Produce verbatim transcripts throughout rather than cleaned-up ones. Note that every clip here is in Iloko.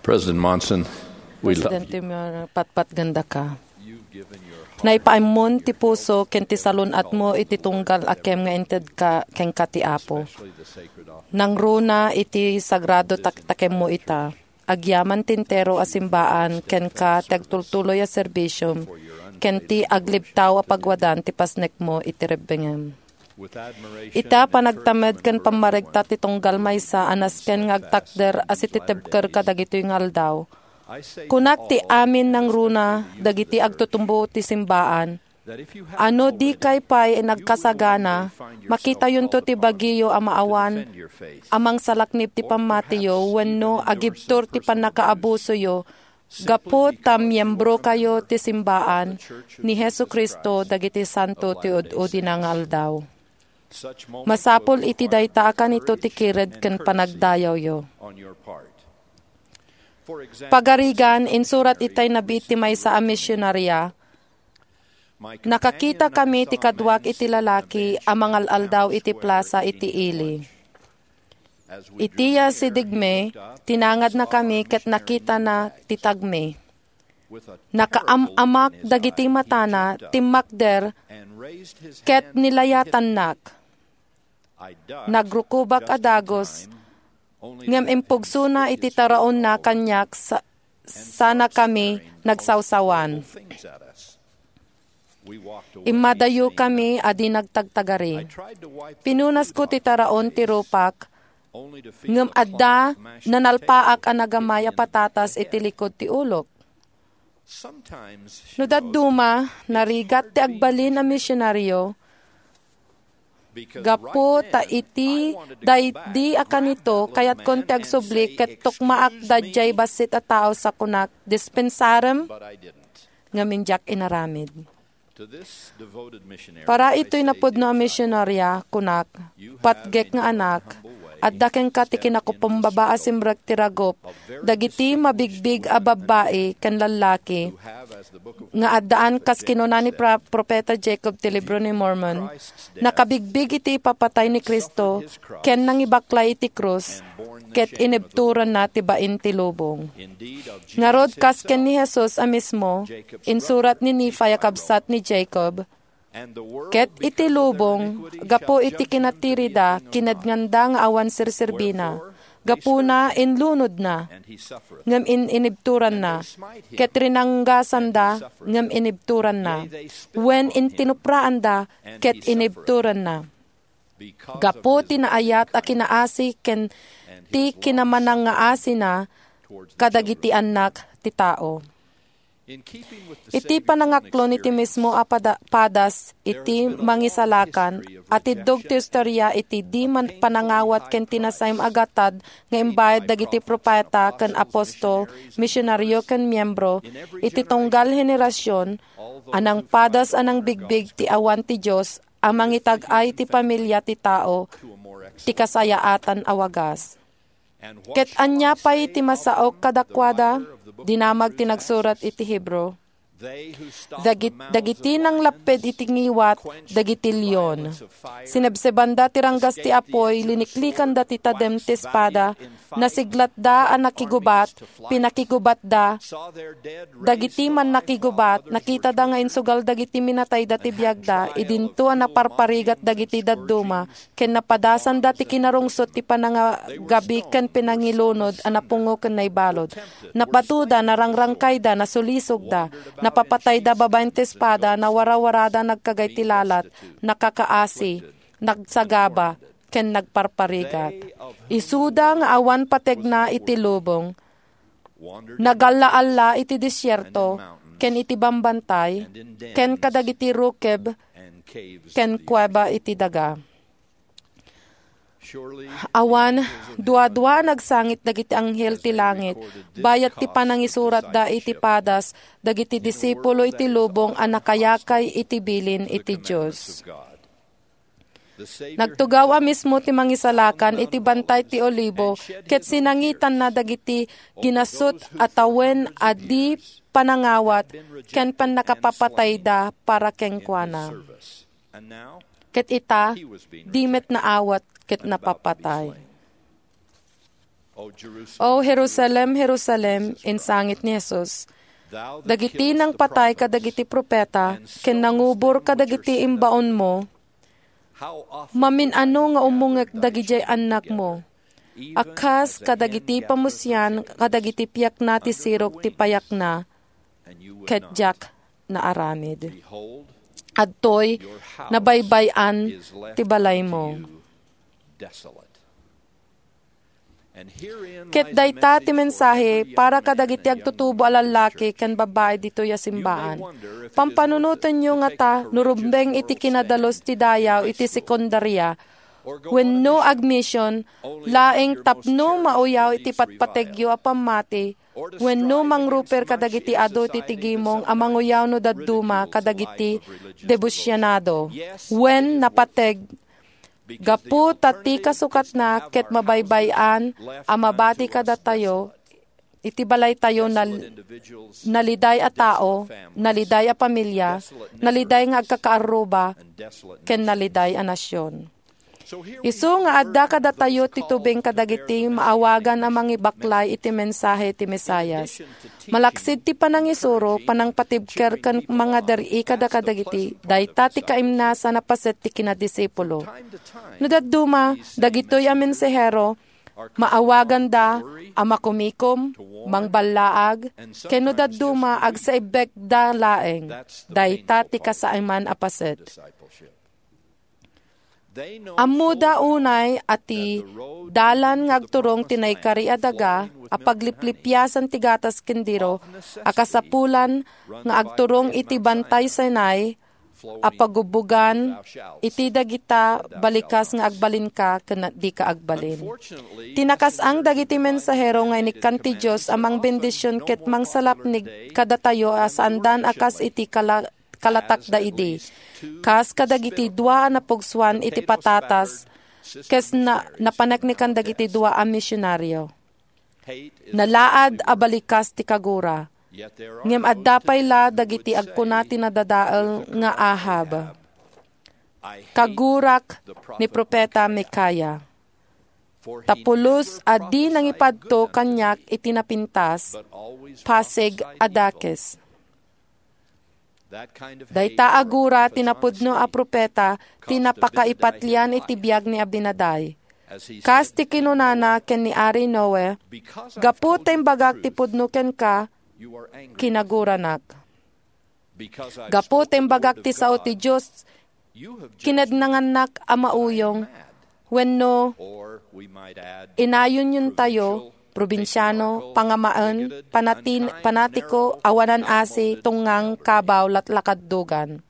President Monson, we love Presidente Monson, patpatgandaka. Naipaammon ti puso ken ti salun-atmo iti tunggal a kem nga inted ka kenka ti Apo. Nangruna iti sagrado tak-, takemmo ita. Agyaman ti entero a simbaan kenka ti agtultuloy a serbisiom ken ti aglibtaw a pagwadan ti pasnekmo iti rebbengem. Ita panagtamed ken pammaregta ti tunggal maysa a nasken nga agtakder a sititibker kadagitoy nga aldaw. Kunak ti amin nangruna dagiti agtutumbo ti simbaan, a no dikay pay nagkasagana, makitayonto ti bagiyo a maawan a mangsalaknib ti pammatiyo wenno agibtur ti pannakaabusoyo gapu ta miembrokayo ti simbaan ni Jesu-Cristo dagiti santo ti ud-udina nga aldaw. Masapul iti dayta a kanito ti kired ken panagdayawyo. Pagarigan, insurat itay nabiit ti maysa a misionaria, "Nakakitakami ti kaduak iti lalaki a mangal-aldaw iti plasa iti ili. Iti yasidegmi, tinangadnakami ket nakitana ti tagmi. Nakaam-amak dagiti matana, timmakder, ket nilayatannak. Nagrukobak a dagus, ngem impugsona iti taraonna kaniak sa-, sana kami nagsawsawan. Immadayokami a di nagtagtagari. Pinunasko ti taraon ti rupak, ngem adda nanalpaak a nagamay a patatas iti likud ti ulok." No dadduma, narigat ti agbalin a misionario, gapu ta iti daydi a kanito, kayatkon ti agsubli ket tukmaak daydiay bassit a tao sa kunak, "Dispensarem," ngem diak inaramid. Para itoy napudno a misionaria, kunak, "Patgek nga anak, adda kenka ti kinakupumbaba a simrek ti ragup dagiti mabigbig a babbai ken lallaki nga addaan, kas kinuna ni pra-, Profeta Jacob ti Libro ni Mormon, nakabigbig iti ipapatay ni Cristo ken nangibaklay iti krus, ket inibturanna ti bain ti lubong." Ngarud, kas ken ni Jesus a mismo, insurat ni Nephi a kabsat ni Jacob, "Ket iti lubong, gapu iti kinatirida, kinednganda nga awan serserbina. Gapuna, inlunodna, ngem in-, inibturanna. Ket rinanggasanda, ngem inibturanna. Wen, intinupraanda, ket inibturanna. Gapu ti naayat a kinaasi ken ti kinamanangngaasina kadagiti annak ti tao." Iti panangaklon iti mismo a pada-, padas iti Mangisalakan, atiddog ti istorya iti di man panangawat ken ti nasaem a gatad nga imbayad dagiti profeta ken apostol, misionario ken miembro iti tunggal henerasion a nangpadas a nangbigbig ti awan ti Dios a mangitag-ay ti pamilia ti tao ti kasayaatan a wagas. Ket ania pay ti masaok kadakuada? Dinamag ti nagsurat iti Hebro. Dagit-, dagiti nanglapped iti ngiwat, dagiti leon. Sinebsebanda ti ranggas ti apuy, liniklikanda ti tadem ti espada, nasiglatda a nakigubat, pinakigubatda. Dagiti mannakigubat, nakitada nga insugal dagiti minatayda ti biagda, idinto a naparparigat dagiti dadduma, ken napadasanda ti kinarungsot ti panangagabi ken pinangilunod a napungo ken naibalud. Napatoda, narangrangkayda, nasulisogda, napapatayda babaen ti espada, nawarawarada nagkagay ti lalat, nakakaasi, nagsagaba, ken nagparparigat. Isuda nga awan pategna iti lubong, nagalla-alla iti desierto, ken iti bambantay, ken kadagiti rukeb, ken kueba iti daga. Awan dua-dua a nagsangit dagiti anghel ti langit, bayat ti panangisuratda iti padas dagiti disipulo iti lubong a nakayakay iti bilin iti Dios. Nagtugaw a mismo ti Mangisalakan iti Bantay ti Olibo ket sinangitanna dagiti ginasut a tawen a di panangawat ken pannakapapatayda para kenkuana. Ket ita, di met naawat ket napapatay. "O Jerusalem, Jerusalem," insangit ni Jesus, "dagiti nangpatay kadagiti profeta ken nangubor kadagiti imbaonmo, mamin-ano nga umungek dagidiay annakmo, a kas kadagiti pamusian kadagiti piakna ti sirok ti payakna, ket diak naaramid. Adtoy, nabaybay-an ti balaymo." Ket dayta ti mensahe para kadagiti agtutubo a lallaki ken babbai ditoy a simbaan. Pampanunotenyo ngata no rumbeng iti kinadalus ti dayaw iti sekundaria wenno agmission laeng tapno mauyaw iti patpategyo a pammati wenno mangruper kadagiti adu iti tigimong a manguyaw no dadduma kadagiti debosyonado wen napateg gapu ta ti kasukatna ket mabaybay-an a mabati kadatayo iti balaytayo nal-, naliday a tao, naliday a pamilya, naliday nga agkakaarruba, ken naliday a nasion. Isu nga adda kadatayo ti tubeng kadagiti maawagan a mangibaklay iti mensahe ti Mesias. Malaksid ti panangisuro, panangpatibker ken mangader-i kada kadagiti, dayta ti kaimnasan a paset ti kinadisipulo. No dadduma, dagitoy a mensahero, maawaganda a makumikom, mangballaag, ken no dadduma, agsaibbekda laeng. Dayta ti kasaiman a paset. Ammoda unay a ti dalan nga agturong ti naikari a daga a pagliplipiasan ti gatas ken diro a kasapulan nga agturong iti Bantay Sinai a pagubbugan iti dagita balikas nga agbalinka ken dika agbalin. Ti nakasang dagiti mensahero nga inikkan ti Dios a mangbendision ket mangsalapnig kadatayo a saandan a kas iti kala-, kalatakda idi. Kas kadagiti dua a napugsuan iti patatas, kes na-, napaneknekan dagiti dua a misionario. Nalaad a balikas ti kagura. Ngem adda pay la dagiti agkuna ti nadadael nga Ahab, "Kagurak ni Profeta Micaiah. Ta pulos a di nangipadto kaniak iti napintas, pasig a dakes." Dayta a gura ti napudno a profeta ti napakaipatlian iti biag ni Abinadi. Kas ti kinunana ken ni Ari Noe, "Gapu ta imbagak ti pudno kenka, kinaguranak. Gapu ta imbagak ti sao ti Dios, kinednangannak a mauyong." Wenno, inayonyontayo, probinsiano, pangamaen, panatin-, panatiko, awanan asi, tungngang, kabaw, latlakaddugan.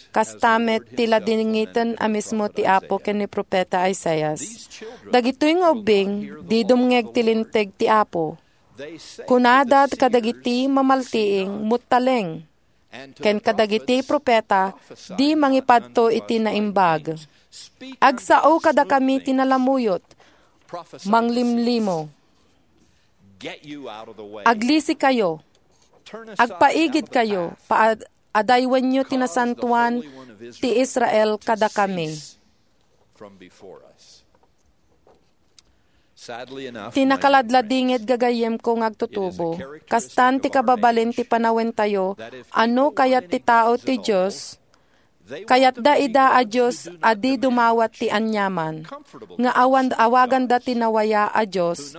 Kasta met ti ladingiten a mismo ti Apo ken ni Profeta Isaias. Dagitoy nga ubbing, di dumngeg ti linteg ti Apo. Kunada kadagiti mamaltiing, "Muttaleng." Ken kadagiti profeta, "Di mangipadto iti naimbag. Agsao kadakami ti nalamuyot. Manglimlimo. Aglisikayo. Agpaigidkayo. Paad-, adaywenyo ti nasantoan ti Israel kadakami." Ti nakaladladingit, gagayyemko nga agtutubo, kastan ti kababalin ti panawentayo a no kayat ti tao ti Dios, kayatda ida a Dios a di dumawat ti aniaman, nga awan awaganda ti nawaya a Dios.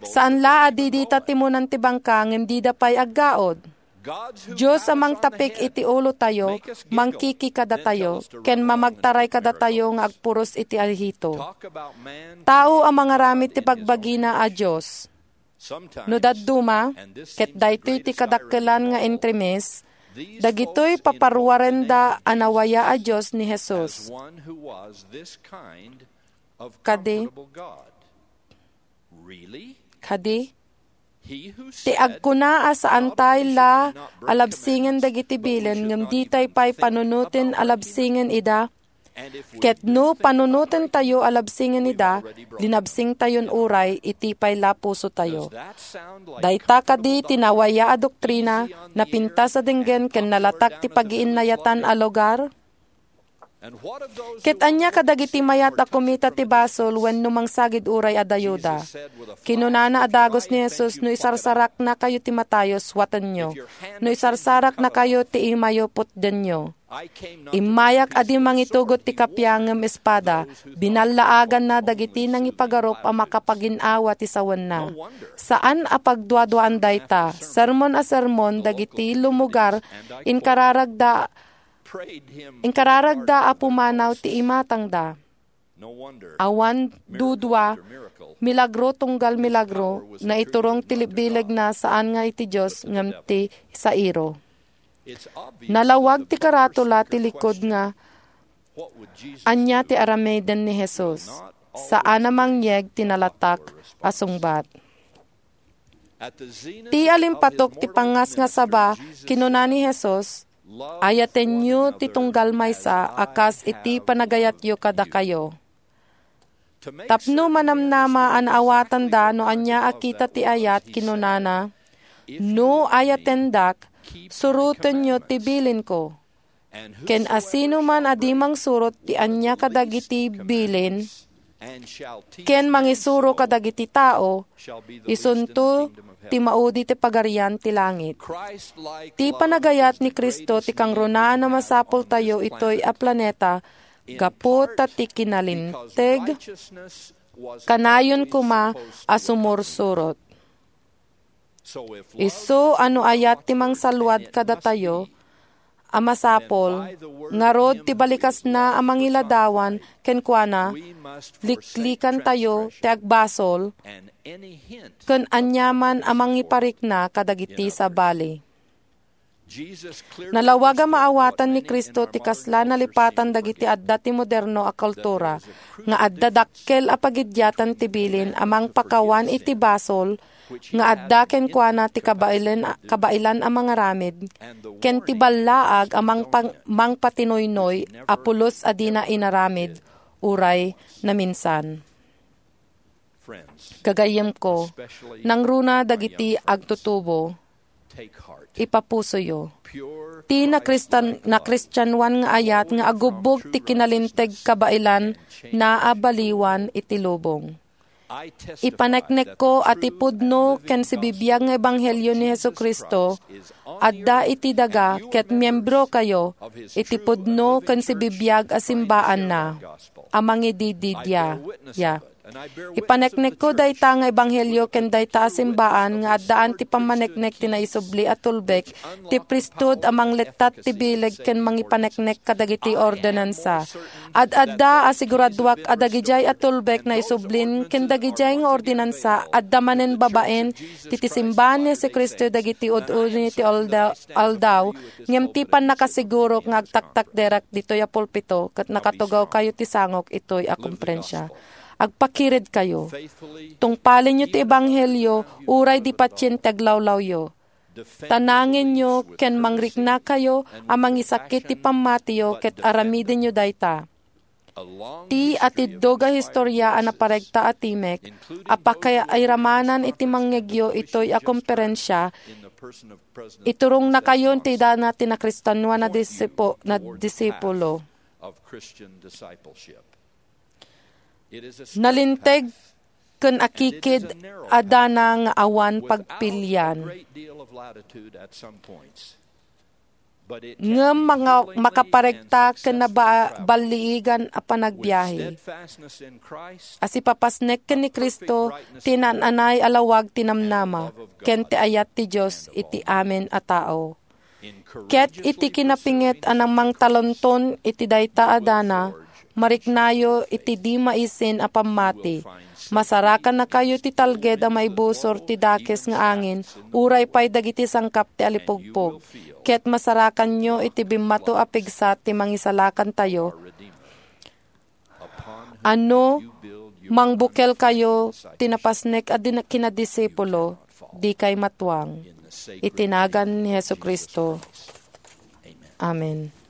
Saan la a di dita timonan ti bangka ngem dida pay aggaud. Dios a mangtapik iti ulotayo, mangkiki kadatayo, ken mamagtaray kadatayo nga agpuros iti ahito. Tao a mangaramid ti bagbagina a Dios. No dadduma, ket daytoy ti kadakkelan nga entremes, dagitoy paparuarenda a nawaya a Dios ni Jesus. Kadi, kadi, ti agkuna a saantay la a labsingen dagiti bilin ngem ditay pay panunoten a labsingen ida, ket no panunotentayo a labsingen ida, linabsingtayon uray iti pay la pusotayo. Dayta kadi ti nawaya a doktrina, napintas a denggen ken nalatak ti pagiinnayatan a lugar? Ket ania kadagiti mayat a kumita ti basol wenno mangsagid uray adayoda? Kinunana a dagus ni Jesus, "No isarsaraknakayo ti matayo, suatenyo. No isarsaraknakayo ti imayo, putdenyo." Immayak a di mangitugot ti kappia ngem espada, binallaaganna dagiti nangipagarup a makapagin-awa ti sawenna. Saan a pagduaduaan dayta. Sermon a sermon dagiti lumugar, inkararagda Inkararagda a pumanaw ti imatangda. Awan dudua, milagro tunggal milagro, naiturong ti bilegna saan nga iti Dios ngem ti Zairo. Nalawag ti karatula ti likud nga ania ti aramiden ni Jesus. Saan a mangyeg ti nalatak a sungbat. Ti alimpatok ti pangngasngasaba, kinuna ni Jesus, "Ayatenyo ti tunggal maysa a kas iti panagayatyo kadakayo." Tapno manamnama a naawatanda no ania a kita ti ayat, kinunana, "No ayatendak, surotenyo ti bilinko." Ken asinoman a di mangsurot ti ania kadagiti bilin, ken mangisuro kadagiti tao, isunto ti maudi ti Pagarian ti langit. Ti panagayat ni Cristo ti kangrunaan a masapultayo itoy a planeta gapu ta ti kinalinteg kanayon koma a sumursurot. Isu a no ayat ti mangsalluad kadatayo a masapul, ngarud ti balikasna a mangiladawan kenkuana, liklikantayo ti agbasol ken aniaman a mangiparikna kadagiti sabali. Nalawag a maawatan ni Cristo ti kasla nalipatan dagiti adda ti moderno a kultura, nga adda dakkel a pagidiatan ti bilin a mangpakawan iti basol, nga adda kenkuana ti kabaelan, kabaelan a mangaramid, ken ti ballaag a mangpang-, mangpatinuynoy a pulos a dina inaramid uray naminsan. Gagayyemko, nangruna dagiti agtutubo, ipapusoyo. Ti nakristan-, nakristianoan nga ayat nga agubbog ti kinalinteg kabaelan naabaliwan iti lubong. Ipaneknekko a ti pudno ken sibibiag nga ebanghelio ni Jesu-Cristo adda iti daga ket miembrokayo iti pudno ken sibibiag a simbaanna a mangidididia. Ya. Ipaneknekko dayta nga ebanghelio ken dayta a simbaan nga addaan ti pammaneknek ti naisubli a tulbek ti priesthood a manglettat ti bileg ken mangipaneknek kadagiti ordinansa. Ad-adda a siguraduak a dagidiay a tulbek naisublin ken dagidiay nga ordinansa adda manen babaen ti, ti simbaan ni Jesu-Cristo dagiti ud-uni ti alda-, aldaw, ngem ti pannakasigurok nga agtaktakderak ditoy a pulpito ket nakatugawkayo ti sangok itoy a komprensia. Agpakiridkayo. Tungpalenyo ti ebanghelio uray di patien ti aglawlawyo. Tanangenyo ken mangriknakayo a mangisakit ti pammatiyo ket aramidenyo dayta. Ti atiddog a historia a naparegta a timek a pakairamanan iti mangngegyo itoy a komperensia, iturongnakayo ti dana ti nakristianoan a disipu-, na disipulo. Nalinteg ken akikid a dana nga awan pagpilian. Ngem manga-, makaparegta ken naba-, balliigan a panagbiahe. A sipapasnek ken ni Cristo ti naan-anay a lawag ti namnama ken ti ayat ti Dios iti amin a tao. Ket iti kinapinget a namangtalonton iti dayta a dana, mariknayo iti di maisin a pammati. Masarakannakayo ti talged a maibusor ti dakes nga angin, uray pay dagiti sangkap ti alipugpog. Ket masarakanyo iti bimmato a pigsa ti mangisalakantayo. Ano, mangbukelkayo ti napasnek a din-, kinadisipulo, dikay matuang. Iti nagan ni Jesu-Cristo. Amen.